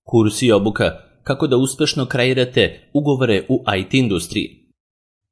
Kurs i obuka kako da uspešno kreirate ugovore u IT industriji.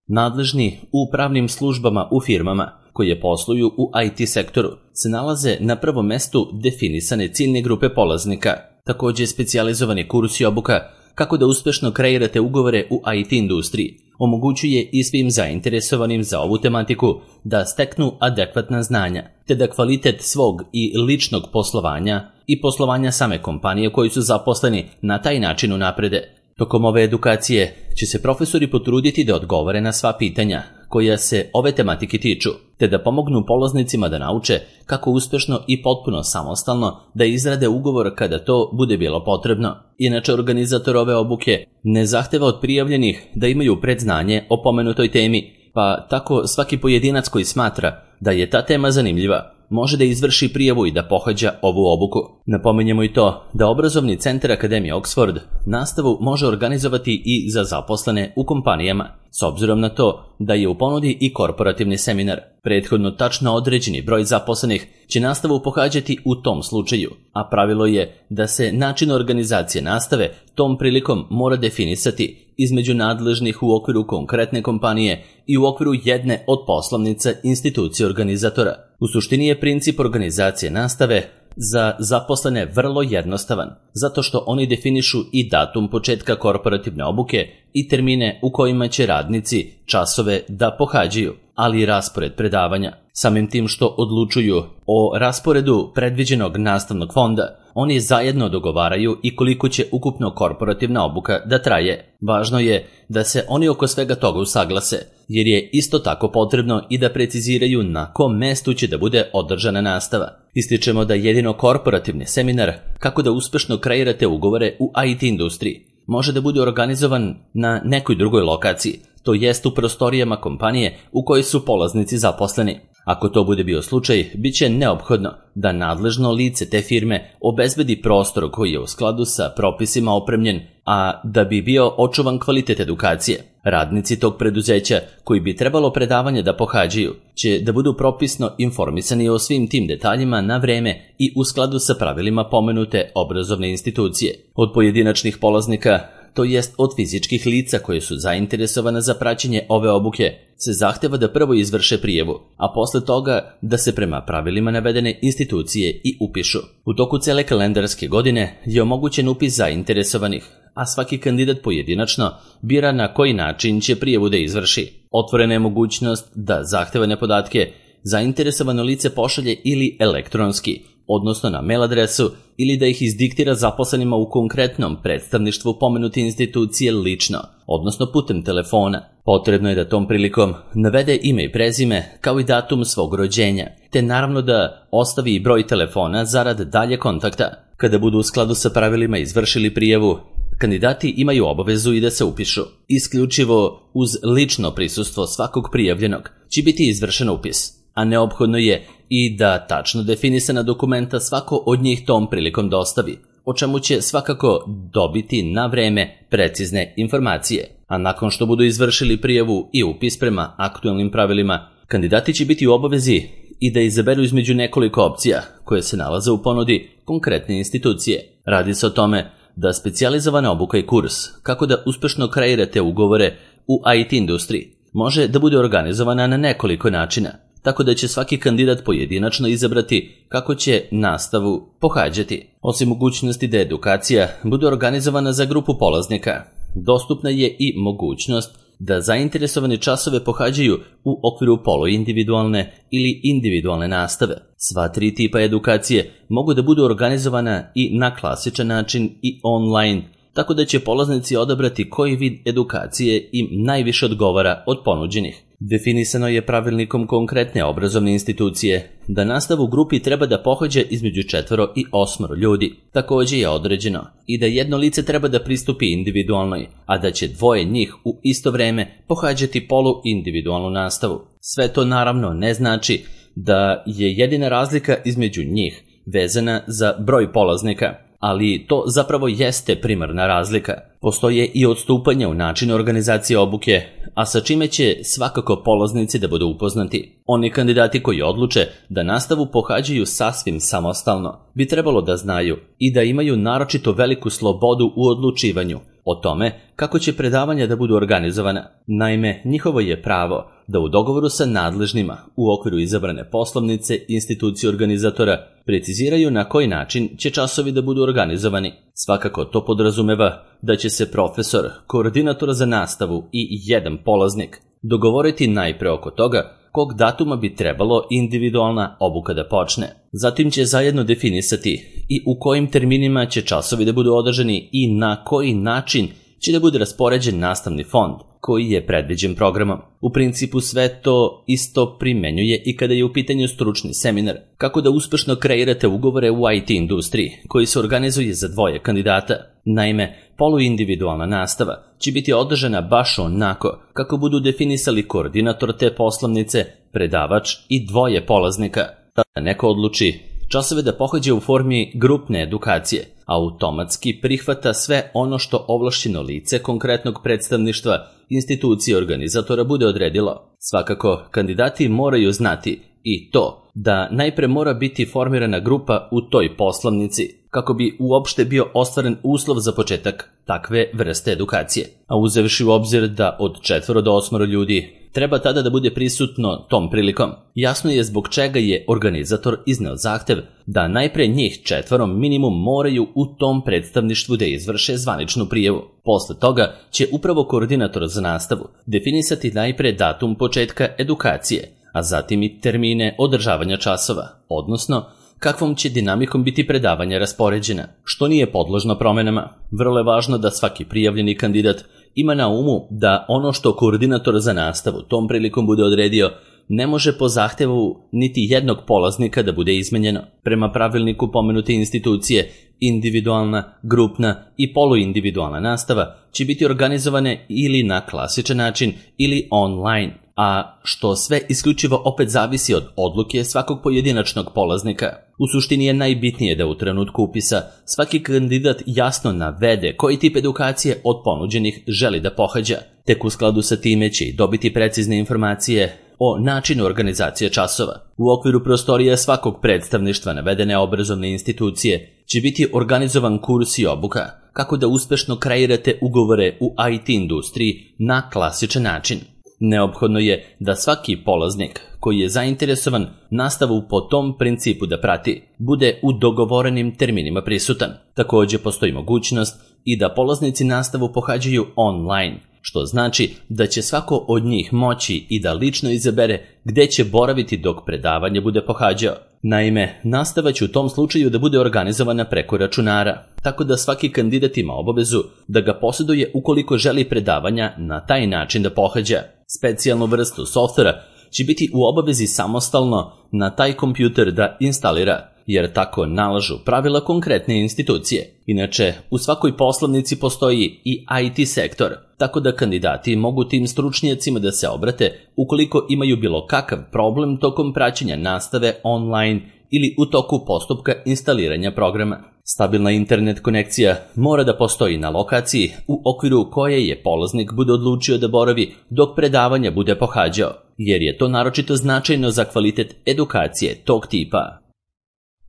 Nadležni u pravnim službama u firmama koje posluju u IT sektoru se nalaze na prvom mestu definisane ciljne grupe polaznika. Također specijalizovani kurs i obuka kako da uspešno kreirate ugovore u IT industriji omogućuje i svim zainteresovanim za ovu tematiku da steknu adekvatna znanja, te da kvalitet svog i ličnog poslovanja i poslovanja same kompanije koji su zaposleni na taj način unaprede. Tokom ove edukacije će se profesori potruditi da odgovore na sva pitanja koja se ove tematike tiču, te da pomognu polaznicima da nauče kako uspešno i potpuno samostalno da izrade ugovor kada to bude bilo potrebno. Inače, organizator ove obuke ne zahteva od prijavljenih da imaju predznanje o pomenutoj temi, pa tako svaki pojedinac koji smatra da je ta tema zanimljiva može da izvrši prijavu i da pohađa ovu obuku. Napominjemo i to da obrazovni centar Akademije Oxford nastavu može organizovati i za zaposlene u kompanijama, s obzirom na to da je u ponudi i korporativni seminar. Prethodno tačno određeni broj zaposlenih će nastavu pohađati u tom slučaju, a pravilo je da se način organizacije nastave tom prilikom mora definisati između nadležnih u okviru konkretne kompanije i u okviru jedne od poslovnica institucije organizatora. U suštini je princip organizacije nastave za zaposlene vrlo jednostavan, zato što oni definišu i datum početka korporativne obuke i termine u kojima će radnici časove da pohađaju, ali i raspored predavanja. Samim tim što odlučuju o rasporedu predviđenog nastavnog fonda, oni zajedno dogovaraju i koliko će ukupno korporativna obuka da traje. Važno je da se oni oko svega toga usaglase, jer je isto tako potrebno i da preciziraju na kom mestu će da bude održana nastava. Ističemo da jedino korporativni seminar kako da uspešno kreirate ugovore u IT industriji može da bude organizovan na nekoj drugoj lokaciji, to jest u prostorijama kompanije u kojoj su polaznici zaposleni. Ako to bude bio slučaj, bit će neophodno da nadležno lice te firme obezbedi prostor koji je u skladu sa propisima opremljen, a da bi bio očuvan kvalitet edukacije. Radnici tog preduzeća koji bi trebalo predavanje da pohađaju će da budu propisno informisani o svim tim detaljima na vreme i u skladu sa pravilima pomenute obrazovne institucije. Od pojedinačnih polaznika, to jest od fizičkih lica koje su zainteresovane za praćenje ove obuke, se zahteva da prvo izvrše prijavu, a posle toga da se prema pravilima navedene institucije i upišu. U toku cele kalendarske godine je omogućen upis zainteresovanih, a svaki kandidat pojedinačno bira na koji način će prijavu da izvrši. Otvorena je mogućnost da zahtevane podatke zainteresovano lice pošalje ili elektronski, odnosno na mail adresu, ili da ih izdiktira zaposlenima u konkretnom predstavništvu pomenute institucije lično, odnosno putem telefona. Potrebno je da tom prilikom navede ime i prezime kao i datum svog rođenja, te naravno da ostavi i broj telefona zarad dalje kontakta. Kada budu u skladu sa pravilima izvršili prijavu, kandidati imaju obavezu i da se upišu. Isključivo uz lično prisustvo svakog prijavljenog će biti izvršen upis, a neophodno je i da tačno definisana dokumenta svako od njih tom prilikom dostavi, o čemu će svakako dobiti na vreme precizne informacije. A nakon što budu izvršili prijavu i upis prema aktualnim pravilima, kandidati će biti u obavezi i da izaberu između nekoliko opcija koje se nalaze u ponudi konkretne institucije. Radi se o tome da specijalizovana obuka i kurs kako da uspešno kreirate ugovore u IT industriji može da bude organizovana na nekoliko načina, tako da će svaki kandidat pojedinačno izabrati kako će nastavu pohađati. Osim mogućnosti da edukacija bude organizovana za grupu polaznika, dostupna je i mogućnost da zainteresovani časove pohađaju u okviru poluindividualne ili individualne nastave. Sva tri tipa edukacije mogu da budu organizovana i na klasičan način i online, tako da će polaznici odabrati koji vid edukacije im najviše odgovara od ponuđenih. Definisano je pravilnikom konkretne obrazovne institucije da nastavu u grupi treba da pohađa između 4 i 8 ljudi. Također je određeno i da jedno lice treba da pristupi individualnoj, a da će 2 njih u isto vreme pohađati poluindividualnu nastavu. Sve to naravno ne znači da je jedina razlika između njih vezana za broj polaznika, ali to zapravo jeste primarna razlika. Postoje i odstupanja u načinu organizacije obuke, a sa čime će svakako polaznici da budu upoznati. Oni kandidati koji odluče da nastavu pohađaju sasvim samostalno bi trebalo da znaju i da imaju naročito veliku slobodu u odlučivanju o tome kako će predavanja da budu organizovana. Naime, njihovo je pravo da u dogovoru sa nadležnima u okviru izabrane poslovnice institucije organizatora preciziraju na koji način će časovi da budu organizovani. Svakako to podrazumeva da će se profesor, koordinator za nastavu i jedan polaznik dogovoriti najpre oko toga kog datuma bi trebalo individualna obuka da počne. Zatim će zajedno definisati i u kojim terminima će časovi da budu održani i na koji način će da bude raspoređen nastavni fond koji je predviđen programom. U principu sve to isto primenjuje i kada je u pitanju stručni seminar, kako da uspešno kreirate ugovore u IT industriji koji se organizuje za dvoje kandidata. Naime, poluindividualna nastava će biti održana baš onako kako budu definisali koordinator te poslovnice, predavač i dvoje polaznika. Tada neko odluči časove da pohađa u formi grupne edukacije, automatski prihvata sve ono što ovlašćeno lice konkretnog predstavništva institucije organizatora bude odredilo. Svakako, kandidati moraju znati i to da najpre mora biti formirana grupa u toj poslovnici kako bi uopšte bio ostvaren uslov za početak takve vrste edukacije. A uzevši u obzir da od 4 do 8 ljudi treba tada da bude prisutno tom prilikom, jasno je zbog čega je organizator izneo zahtev da najpre njih 4 minimum moraju u tom predstavništvu da izvrše zvaničnu prijavu. Posle toga će upravo koordinator za nastavu definisati najpre datum početka edukacije, a zatim i termine održavanja časova, odnosno kakvom će dinamikom biti predavanja raspoređena, što nije podložno promenama. Vrlo je važno da svaki prijavljeni kandidat ima na umu da ono što koordinator za nastavu tom prilikom bude odredio ne može po zahtevu niti jednog polaznika da bude izmenjeno. Prema pravilniku pomenute institucije, individualna, grupna i poluindividualna nastava će biti organizovane ili na klasičan način ili online, a što sve isključivo opet zavisi od odluke svakog pojedinačnog polaznika. U suštini je najbitnije da u trenutku upisa svaki kandidat jasno navede koji tip edukacije od ponuđenih želi da pohađa. Tek u skladu sa time će i dobiti precizne informacije o načinu organizacije časova. U okviru prostorija svakog predstavništva navedene obrazovne institucije će biti organizovan kurs i obuka kako da uspešno kreirate ugovore u IT industriji na klasičan način. Neophodno je da svaki polaznik koji je zainteresovan nastavu po tom principu da prati, bude u dogovorenim terminima prisutan. Također postoji mogućnost i da polaznici nastavu pohađaju online, što znači da će svako od njih moći i da lično izabere gde će boraviti dok predavanje bude pohađao. Naime, nastava će u tom slučaju da bude organizovana preko računara, tako da svaki kandidat ima obavezu da ga posjeduje ukoliko želi predavanja na taj način da pohađa. Specijalnu vrstu softvera će biti u obavezi samostalno na taj kompjuter da instalira, jer tako nalažu pravila konkretne institucije. Inače, u svakoj poslovnici postoji i IT sektor, tako da kandidati mogu tim stručnjacima da se obrate ukoliko imaju bilo kakav problem tokom praćenja nastave online ili u toku postupka instaliranja programa. Stabilna internet konekcija mora da postoji na lokaciji u okviru koje je polaznik bude odlučio da boravi dok predavanja bude pohađao, jer je to naročito značajno za kvalitet edukacije tog tipa.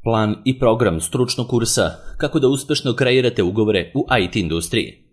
Plan i program stručnog kursa kako da uspešno kreirate ugovore u IT industriji.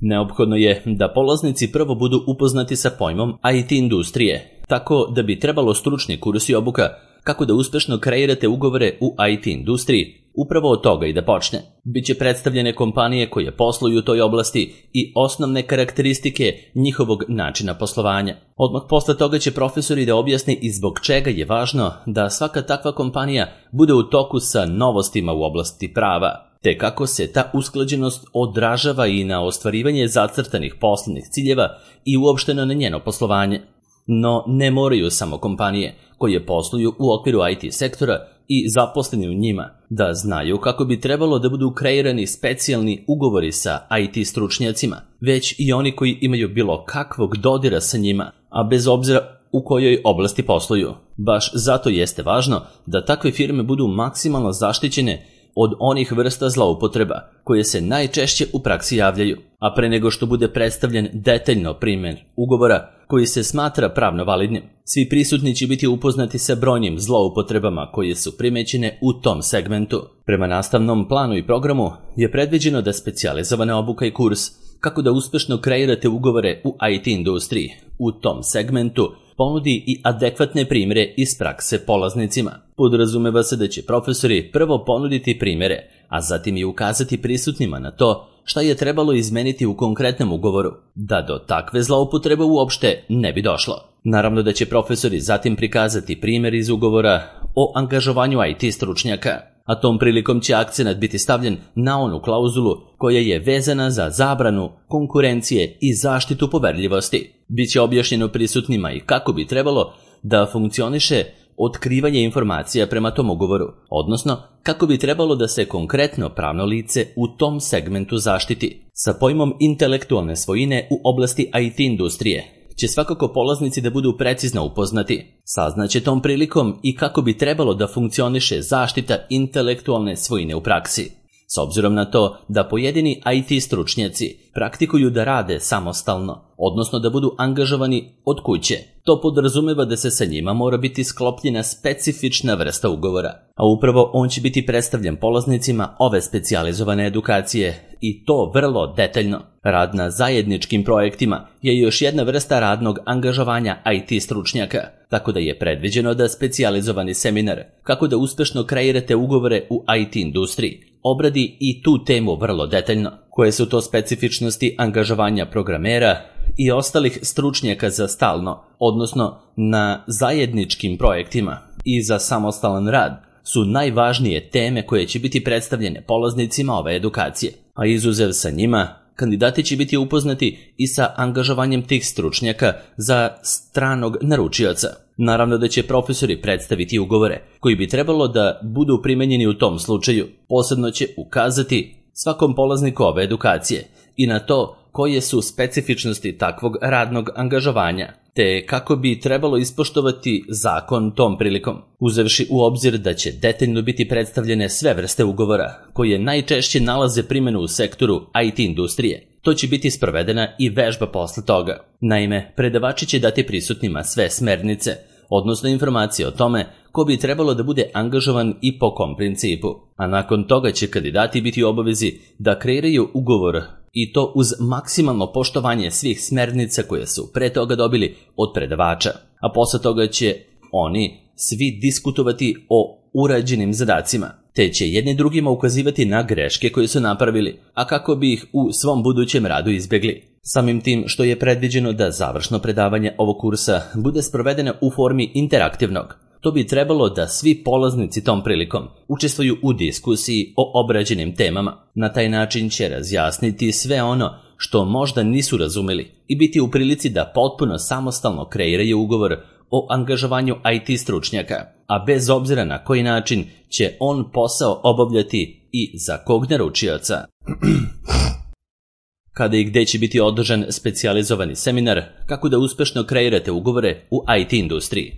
Neophodno je da polaznici prvo budu upoznati sa pojmom IT industrije, tako da bi trebalo stručni kurs i obuka kako da uspešno kreirate ugovore u IT industriji upravo od toga i da počne. Biće predstavljene kompanije koje posluju u toj oblasti i osnovne karakteristike njihovog načina poslovanja. Odmah posle toga će profesori da objasne i zbog čega je važno da svaka takva kompanija bude u toku sa novostima u oblasti prava, te kako se ta usklađenost odražava i na ostvarivanje zacrtanih poslovnih ciljeva i uopšteno na njeno poslovanje. No ne moraju samo kompanije koje posluju u okviru IT sektora i zaposleni u njima da znaju kako bi trebalo da budu kreirani specijalni ugovori sa IT stručnjacima, već i oni koji imaju bilo kakvog dodira sa njima, a bez obzira u kojoj oblasti posluju. Baš zato jeste važno da takve firme budu maksimalno zaštićene od onih vrsta zloupotreba koje se najčešće u praksi javljaju, a pre nego što bude predstavljen detaljno primjer ugovora koji se smatra pravno validnim, svi prisutni će biti upoznati sa brojnim zloupotrebama koje su primećene u tom segmentu. Prema nastavnom planu i programu je predviđeno da specijalizovana obuka i kurs kako da uspešno kreirate ugovore u IT industriji u tom segmentu ponudi i adekvatne primjere iz prakse polaznicima. Podrazumeva se da će profesori prvo ponuditi primjere, a zatim i ukazati prisutnima na to šta je trebalo izmeniti u konkretnom ugovoru, da do takve zloupotrebe uopšte ne bi došlo. Naravno da će profesori zatim prikazati primjer iz ugovora o angažovanju IT stručnjaka, a tom prilikom će akcenat biti stavljen na onu klauzulu koja je vezana za zabranu konkurencije i zaštitu poverljivosti. Biće objašnjeno prisutnima i kako bi trebalo da funkcioniše otkrivanje informacija prema tom ugovoru, odnosno kako bi trebalo da se konkretno pravno lice u tom segmentu zaštiti. Sa pojmom intelektualne svojine u oblasti IT industrije će svakako polaznici da budu precizno upoznati. Saznaće tom prilikom i kako bi trebalo da funkcioniše zaštita intelektualne svojine u praksi. S obzirom na to da pojedini IT stručnjaci praktikuju da rade samostalno, odnosno da budu angažovani od kuće, to podrazumeva da se sa njima mora biti sklopljena specifična vrsta ugovora, a upravo on će biti predstavljen polaznicima ove specijalizovane edukacije i to vrlo detaljno. Rad na zajedničkim projektima je još jedna vrsta radnog angažovanja IT stručnjaka, tako da je predviđeno da specijalizovani seminar kako da uspešno kreirate ugovore u IT industriji obradi i tu temu vrlo detaljno. Koje su to specifičnosti angažovanja programera i ostalih stručnjaka za stalno, odnosno na zajedničkim projektima i za samostalan rad, su najvažnije teme koje će biti predstavljene polaznicima ove edukacije, a izuzev sa njima, kandidati će biti upoznati i sa angažovanjem tih stručnjaka za stranog naručioca. Naravno da će profesori predstaviti ugovore koji bi trebalo da budu primenjeni u tom slučaju. Posebno će ukazati svakom polazniku ove edukacije i na to koje su specifičnosti takvog radnog angažovanja, te kako bi trebalo ispoštovati zakon tom prilikom, uzevši u obzir da će detaljno biti predstavljene sve vrste ugovora koje najčešće nalaze primjenu u sektoru IT industrije. To će biti sprovedena i vežba posle toga. Naime, predavači će dati prisutnima sve smernice, odnosno informacije o tome ko bi trebalo da bude angažovan i po kom principu, a nakon toga će kandidati biti u obavezi da kreiraju ugovor i to uz maksimalno poštovanje svih smernica koje su pre toga dobili od predavača, a posle toga će oni svi diskutovati o urađenim zadacima, te će jedni drugima ukazivati na greške koje su napravili, a kako bi ih u svom budućem radu izbjegli. Samim tim što je predviđeno da završno predavanje ovog kursa bude sprovedeno u formi interaktivnog, to bi trebalo da svi polaznici tom prilikom učestvuju u diskusiji o obrađenim temama. Na taj način će razjasniti sve ono što možda nisu razumeli i biti u prilici da potpuno samostalno kreiraju ugovor o angažovanju IT stručnjaka, a bez obzira na koji način će on posao obavljati i za kog naručioca. Kada i gde će biti održan specijalizovani seminar kako da uspešno kreirate ugovore u IT industriji.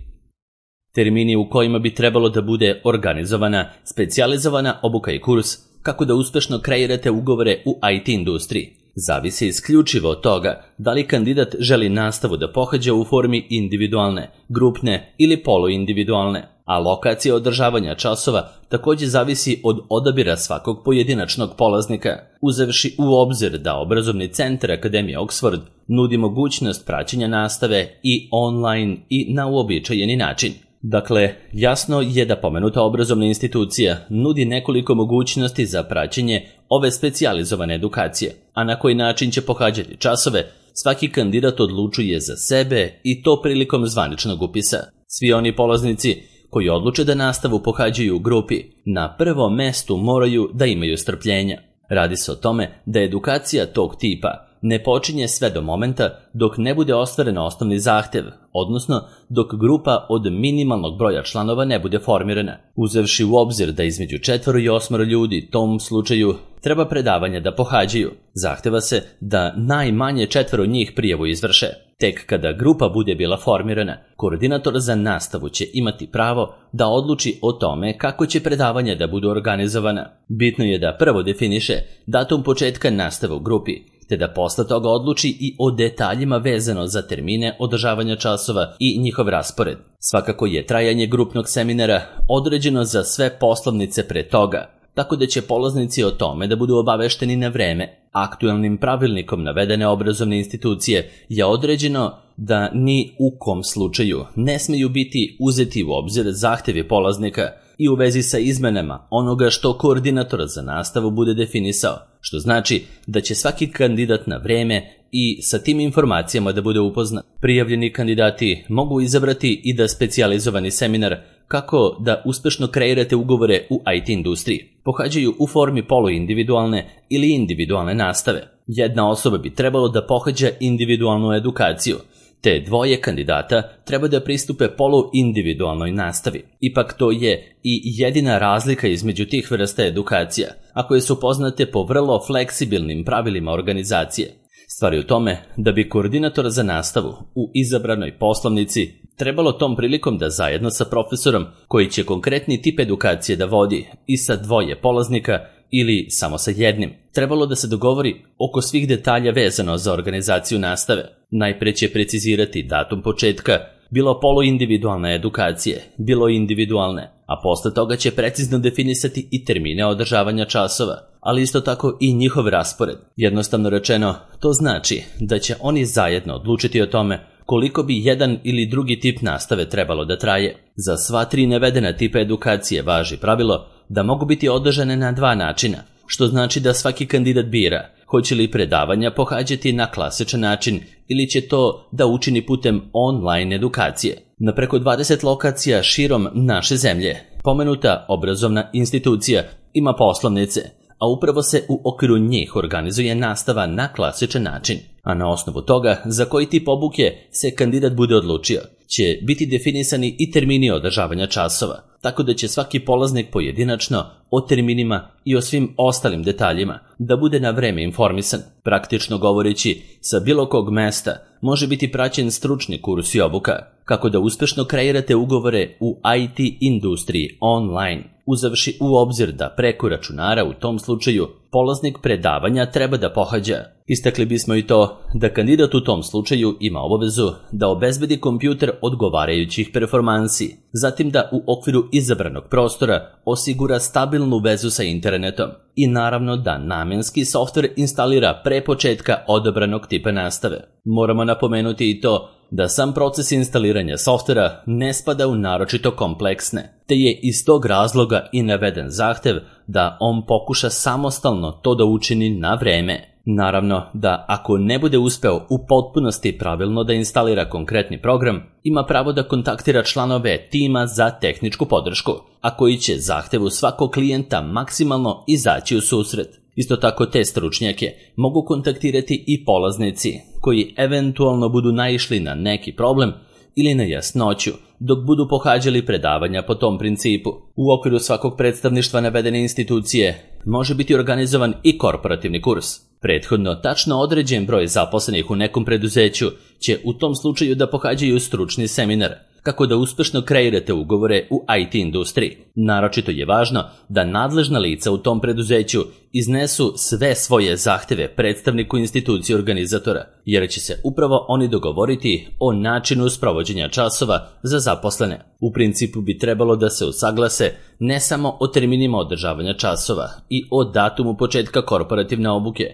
Termini u kojima bi trebalo da bude organizovana specijalizovana obuka i kurs kako da uspešno kreirate ugovore u IT industriji zavisi isključivo od toga da li kandidat želi nastavu da pohađa u formi individualne, grupne ili poluindividualne, a lokacija održavanja časova također zavisi od odabira svakog pojedinačnog polaznika, uzevši u obzir da obrazovni centar Akademije Oxford nudi mogućnost praćenja nastave i online i na uobičajeni način. Dakle, jasno je da pomenuta obrazovna institucija nudi nekoliko mogućnosti za praćenje ove specijalizovane edukacije, a na koji način će pohađati časove, svaki kandidat odlučuje za sebe i to prilikom zvaničnog upisa. Svi oni polaznici koji odluče da nastavu pohađaju u grupi, na prvom mestu moraju da imaju strpljenja. Radi se o tome da edukacija tog tipa ne počinje sve do momenta dok ne bude ostvaren osnovni zahtev, odnosno dok grupa od minimalnog broja članova ne bude formirana. Uzevši u obzir da između 4 i 8 ljudi tom slučaju treba predavanja da pohađaju, zahteva se da najmanje 4 njih prijavu izvrše. Tek kada grupa bude bila formirana, koordinator za nastavu će imati pravo da odluči o tome kako će predavanja da budu organizovana. Bitno je da prvo definiše datum početka nastave u grupi, te da posle toga odluči i o detaljima vezano za termine održavanja časova i njihov raspored. Svakako je trajanje grupnog seminara određeno za sve poslovnice pre toga, tako da će polaznici o tome da budu obavešteni na vreme. Aktuelnim pravilnikom navedene obrazovne institucije je određeno da ni u kom slučaju ne smeju biti uzeti u obzir zahtevi polaznika i u vezi sa izmenama onoga što koordinator za nastavu bude definisao, što znači da će svaki kandidat na vreme i sa tim informacijama da bude upoznat. Prijavljeni kandidati mogu izabrati i da specijalizovani seminar kako da uspešno kreirate ugovore u IT industriji pohađaju u formi poluindividualne ili individualne nastave. Jedna osoba bi trebalo da pohađa individualnu edukaciju, te dvoje kandidata treba da pristupe poluindividualnoj nastavi. Ipak to je i jedina razlika između tih vrsta edukacija, a koje su poznate po vrlo fleksibilnim pravilima organizacije. Stvar je u tome da bi koordinator za nastavu u izabranoj poslovnici trebalo tom prilikom da zajedno sa profesorom koji će konkretni tip edukacije da vodi i sa dvoje polaznika ili samo sa jednim, trebalo da se dogovori oko svih detalja vezano za organizaciju nastave. Najpre će precizirati datum početka, bilo poluindividualne edukacije, bilo individualne, a posle toga će precizno definisati i termine održavanja časova, ali isto tako i njihov raspored. Jednostavno rečeno, to znači da će oni zajedno odlučiti o tome koliko bi jedan ili drugi tip nastave trebalo da traje. Za sva tri navedena tipa edukacije važi pravilo da mogu biti održane na dva načina, što znači da svaki kandidat bira hoće li predavanja pohađati na klasičan način ili će to da učini putem online edukacije. Na preko 20 lokacija širom naše zemlje pomenuta obrazovna institucija ima poslovnice, a upravo se u okviru njih organizuje nastava na klasičan način. A na osnovu toga za koji tip obuke se kandidat bude odlučio, će biti definisani i termini održavanja časova, tako da će svaki polaznik pojedinačno o terminima i o svim ostalim detaljima da bude na vreme informisan. Praktično govoreći, sa bilo kog mesta može biti praćen stručni kurs i obuka, kako da uspešno kreirate ugovore u IT industriji online, uzavši u obzir da preko računara u tom slučaju polaznik predavanja treba da pohađa. Istakli bismo i to da kandidat u tom slučaju ima obavezu da obezbedi kompjuter odgovarajućih performansi, zatim da u okviru izabranog prostora osigura stabilnu vezu sa internetom i naravno da namenski softver instalira pre početka odabranog tipa nastave. Moramo napomenuti i to da sam proces instaliranja softvera ne spada u naročito kompleksne, te je iz tog razloga i naveden zahtev da on pokuša samostalno to da učini na vreme. Naravno da ako ne bude uspeo u potpunosti pravilno da instalira konkretni program, ima pravo da kontaktira članove tima za tehničku podršku, a koji će zahtevu svakog klijenta maksimalno izaći u susret. Isto tako te stručnjake mogu kontaktirati i polaznici koji eventualno budu naišli na neki problem ili na jasnoću dok budu pohađali predavanja po tom principu. U okviru svakog predstavništva navedene institucije može biti organizovan i korporativni kurs. Prethodno tačno određen broj zaposlenih u nekom preduzeću će u tom slučaju da pohađaju stručni seminar, kako da uspešno kreirate ugovore u IT industriji. Naročito je važno da nadležna lica u tom preduzeću iznesu sve svoje zahteve predstavniku institucije organizatora, jer će se upravo oni dogovoriti o načinu sprovođenja časova za zaposlene. U principu bi trebalo da se usaglase ne samo o terminima održavanja časova i o datumu početka korporativne obuke,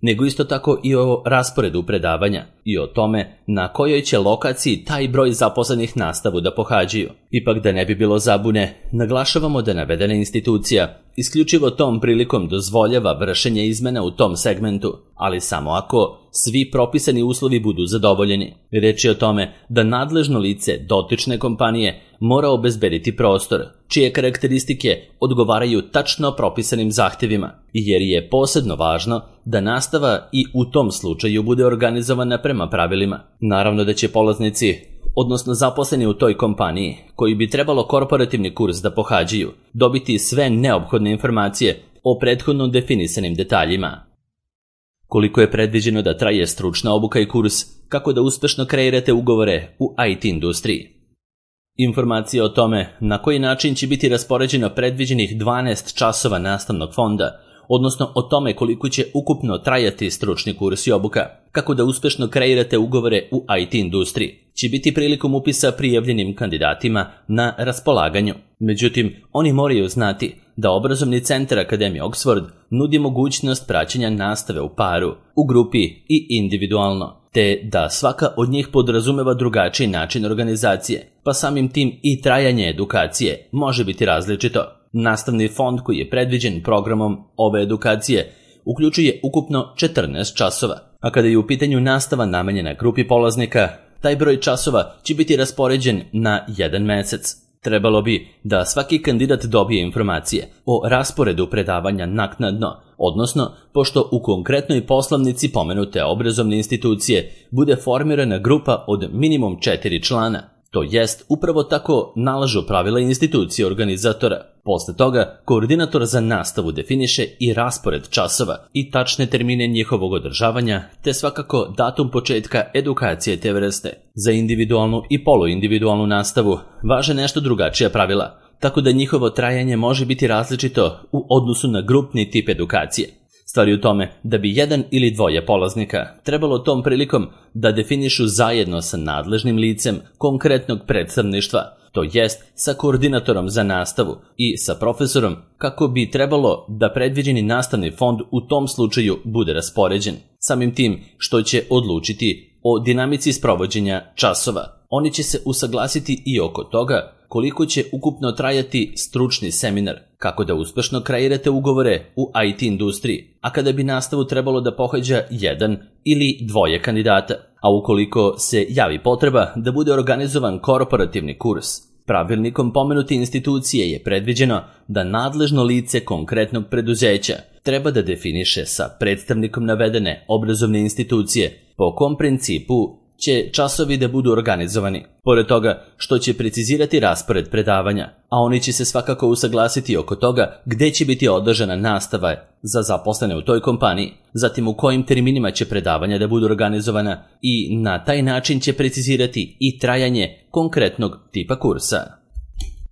nego isto tako i o rasporedu predavanja i o tome na kojoj će lokaciji taj broj zaposlenih nastavu da pohađaju. Ipak da ne bi bilo zabune, naglašavamo da navedena institucija isključivo tom prilikom dozvoljava vršenje izmena u tom segmentu, ali samo ako svi propisani uslovi budu zadovoljeni. Reč je o tome da nadležno lice dotične kompanije mora obezbediti prostor, čije karakteristike odgovaraju tačno propisanim zahtevima, jer je posebno važno da nastava i u tom slučaju bude organizovana prema pravilima. Naravno da će polaznici, odnosno zaposleni u toj kompaniji, koji bi trebalo korporativni kurs da pohađaju, dobiti sve neophodne informacije o prethodno definisanim detaljima. koliko je predviđeno da traje stručna obuka i kurs, kako da uspešno kreirate ugovore u IT industriji. Informacije o tome na koji način će biti raspoređeno predviđenih 12 časova nastavnog fonda, odnosno o tome koliko će ukupno trajati stručni kurs i obuka, kako da uspešno kreirate ugovore u IT industriji, će biti prilikom upisa prijavljenim kandidatima na raspolaganju. Međutim, oni moraju znati da obrazovni centar Akademije Oxford nudi mogućnost praćenja nastave u paru, u grupi i individualno, te da svaka od njih podrazumeva drugačiji način organizacije, pa samim tim i trajanje edukacije može biti različito. Nastavni fond koji je predviđen programom ove edukacije uključuje ukupno 14 časova, a kada je u pitanju nastava namenjena grupi polaznika, taj broj časova će biti raspoređen na 1 mesec. Trebalo bi da svaki kandidat dobije informacije o rasporedu predavanja naknadno, odnosno pošto u konkretnoj poslovnici pomenute obrazovne institucije bude formirana grupa od minimum 4 člana. To jest, upravo tako nalažu pravila institucije organizatora. Posle toga, koordinator za nastavu definiše i raspored časova i tačne termine njihovog održavanja, te svakako datum početka edukacije te vrste. Za individualnu i poluindividualnu nastavu važe nešto drugačija pravila, tako da njihovo trajanje može biti različito u odnosu na grupni tip edukacije. Stvar je u tome da bi jedan ili dvoje polaznika trebalo tom prilikom da definišu zajedno sa nadležnim licem konkretnog predstavništva, to jest sa koordinatorom za nastavu i sa profesorom, kako bi trebalo da predviđeni nastavni fond u tom slučaju bude raspoređen. Samim tim što će odlučiti o dinamici sprovođenja časova. Oni će se usaglasiti i oko toga koliko će ukupno trajati stručni seminar, kako da uspešno kreirate ugovore u IT industriji, a kada bi nastavu trebalo da pohađa jedan ili dvoje kandidata, a ukoliko se javi potreba da bude organizovan korporativni kurs. Pravilnikom pomenute institucije je predviđeno da nadležno lice konkretnog preduzeća treba da definiše sa predstavnikom navedene obrazovne institucije po kom principu će časovi da budu organizovani. Pored toga što će precizirati raspored predavanja, a oni će se svakako usaglasiti oko toga gde će biti održana nastava za zaposlene u toj kompaniji, zatim u kojim terminima će predavanja da budu organizovana i na taj način će precizirati i trajanje konkretnog tipa kursa.